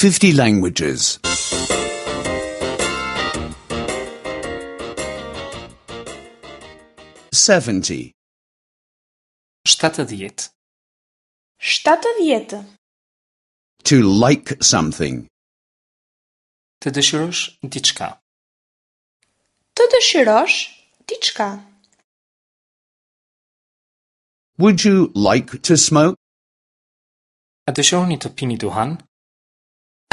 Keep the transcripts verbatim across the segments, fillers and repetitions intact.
fifty languages. seventy. shtatëdhjetë. Shtatëdhjetë. To like something. Të dëshirosh diçka. Të dëshirosh diçka. Would you like to smoke? A dëshironi të pini duhan?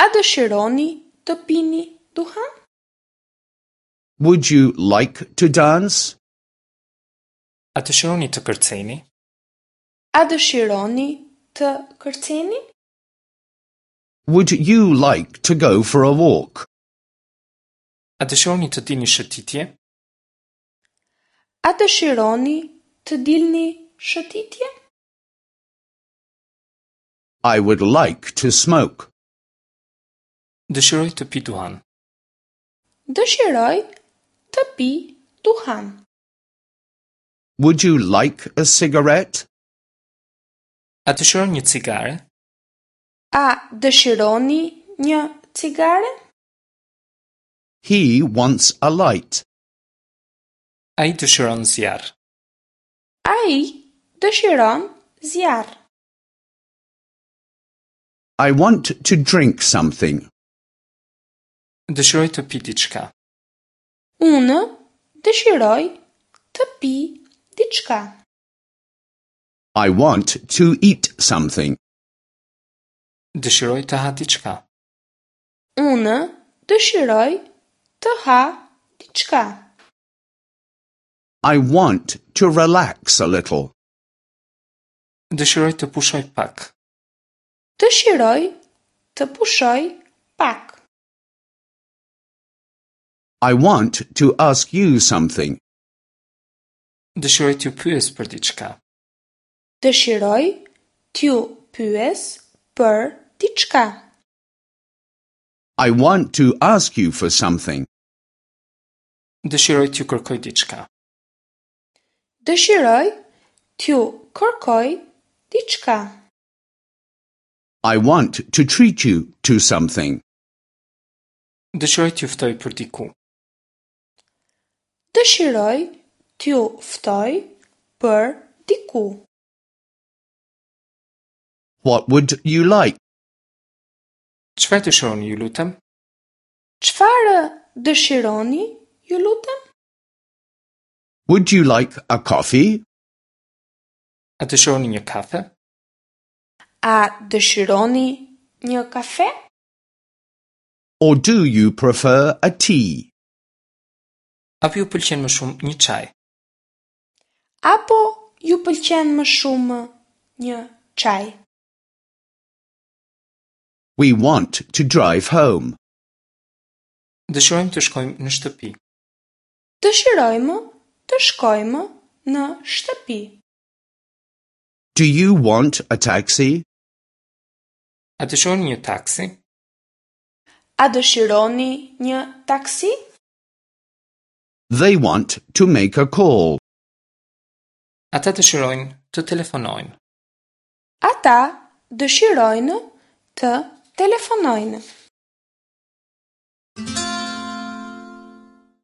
A dëshironi të pini duhan? Would you like to dance? A dëshironi të kërceni? A dëshironi të kërceni? Would you like to go for a walk? A dëshironi të dilni shëtitje? A dëshironi të dilni shëtitje? I would like to smoke. Dëshiroj të pi duhan. Dëshiroj të pi duhan. Would you like a cigarette? A dëshiron një cigare? A dëshironi një cigare? He wants a light. Ai dëshiron zjarr. Ai dëshiron zjarr. I want to drink something. Dëshiroj të pi diçka. Unë dëshiroj të pi diçka. I want to eat something. Dëshiroj të ha diçka. Unë dëshiroj të ha diçka. I want to relax a little. Dëshiroj të pushoj pak. Dëshiroj të pushoj pak. I want to ask you something. Dëshiroj t'ju pyes për diçka. Dëshiroj t'ju pyes për diçka. I want to ask you for something. Dëshiroj t'ju kërkoj diçka. Dëshiroj t'ju kërkoj diçka. I want to treat you to something. Dëshiroj t'ju ftoj për diku. Dëshiroj t'ju ftoj për diku. What would you like? Çfarë dëshironi, ju lutem? Çfarë dëshironi, ju lutem? Would you like a coffee? A dëshironi një kafe? A dëshironi një kafe? Or do you prefer a tea? Apo ju pëlqen më shumë një çaj? Apo ju pëlqen më shumë një çaj? We want to drive home. Dëshirojmë të shkojmë në shtëpi. Dëshirojmë të shkojmë në shtëpi. Do you want a taxi? A dëshironi një taksi? A dëshironi një taksi? They want to make a call. Ata dëshirojnë të telefonojnë. Ata dëshirojnë të telefonojnë.